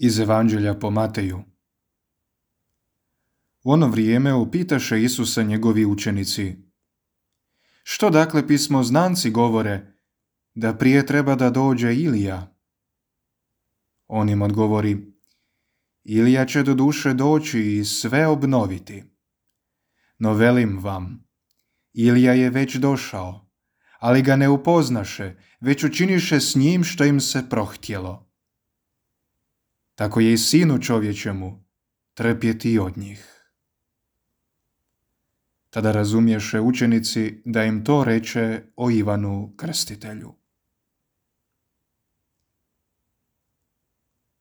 Iz Evanđelja po Mateju. U ono vrijeme upitaše Isusa njegovi učenici: Što dakle pismoznanci govore, da prije treba da dođe Ilija? On im odgovori: Ilija će doduše doći i sve obnoviti. No velim vam, Ilija je već došao, ali ga ne upoznaše, već učiniše s njim što im se prohtjelo. Tako je i Sinu čovječemu trpjeti od njih. Tada razumješe učenici da im to reče o Ivanu Krstitelju.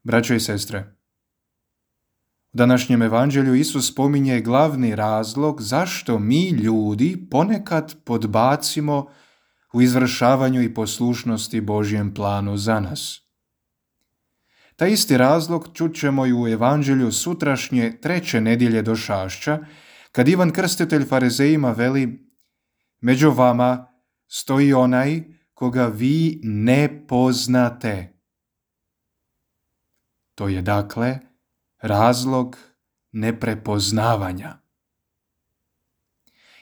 Braćo i sestre, u današnjem evanđelju Isus spominje glavni razlog zašto mi ljudi ponekad podbacimo u izvršavanju i poslušnosti Božjem planu za nas. Taj isti razlog čućemo i u evanđelju sutrašnje 3. nedjelje došašća, kad Ivan Krstitelj farizejima veli: Među vama stoji onaj koga vi ne poznate. To je dakle razlog neprepoznavanja.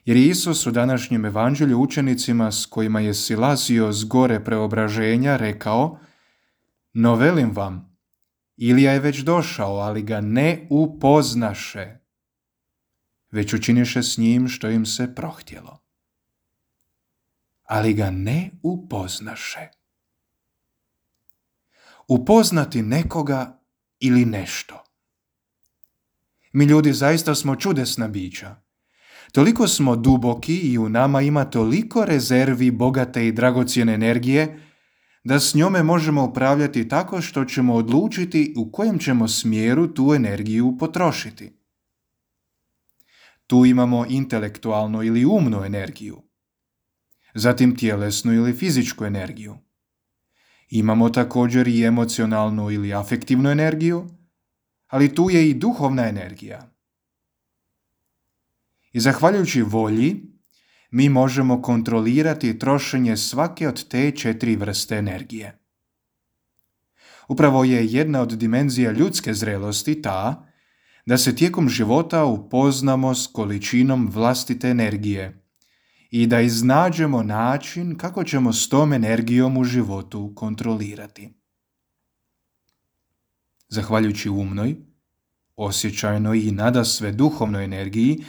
Jer Isus u današnjem evanđelju učenicima s kojima je silazio s gore preobraženja rekao: No velim vam, Ilija je već došao, ali ga ne upoznaše, već učiniše s njim što im se prohtjelo. Ali ga ne upoznaše. Upoznati nekoga ili nešto. Mi ljudi zaista smo čudesna bića. Toliko smo duboki i u nama ima toliko rezervi bogate i dragocjene energije da s njome možemo upravljati tako što ćemo odlučiti u kojem ćemo smjeru tu energiju potrošiti. Tu imamo intelektualnu ili umnu energiju, zatim tjelesnu ili fizičku energiju. Imamo također i emocionalnu ili afektivnu energiju, ali tu je i duhovna energija. I zahvaljujući volji, mi možemo kontrolirati trošenje svake od te 4 vrste energije. Upravo je jedna od dimenzija ljudske zrelosti ta da se tijekom života upoznamo s količinom vlastite energije i da iznađemo način kako ćemo s tom energijom u životu kontrolirati. Zahvaljujući umnoj, osjećajnoj i nadasve duhovnoj energiji,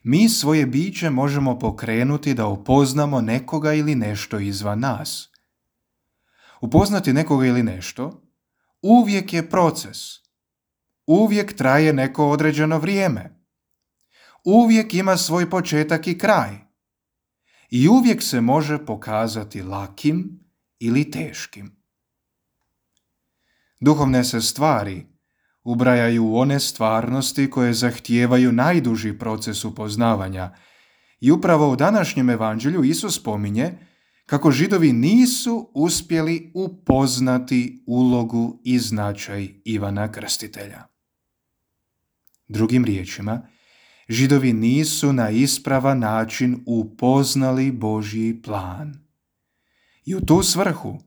mi svoje biće možemo pokrenuti da upoznamo nekoga ili nešto izvan nas. Upoznati nekoga ili nešto uvijek je proces. Uvijek traje neko određeno vrijeme. Uvijek ima svoj početak i kraj. I uvijek se može pokazati lakim ili teškim. Duhovne se stvari ubrajaju u one stvarnosti koje zahtijevaju najduži proces upoznavanja. I upravo u današnjem evanđelju Isus spominje kako Židovi nisu uspjeli upoznati ulogu i značaj Ivana Krstitelja. Drugim riječima, Židovi nisu na ispravan način upoznali Božji plan. I u tu svrhu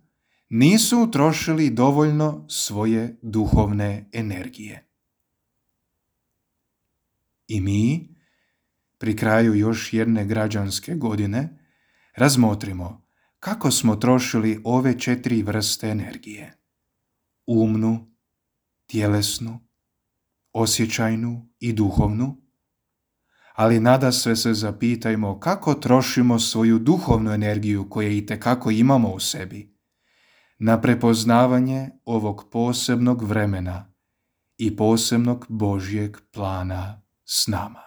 nisu utrošili dovoljno svoje duhovne energije. I mi, pri kraju još jedne građanske godine, razmotrimo kako smo trošili ove 4 vrste energije. Umnu, tjelesnu, osjećajnu i duhovnu, ali nadasve se zapitajmo kako trošimo svoju duhovnu energiju koju itekako imamo u sebi na prepoznavanje ovog posebnog vremena i posebnog Božjeg plana s nama.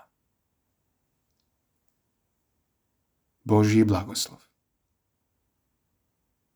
Božji blagoslov.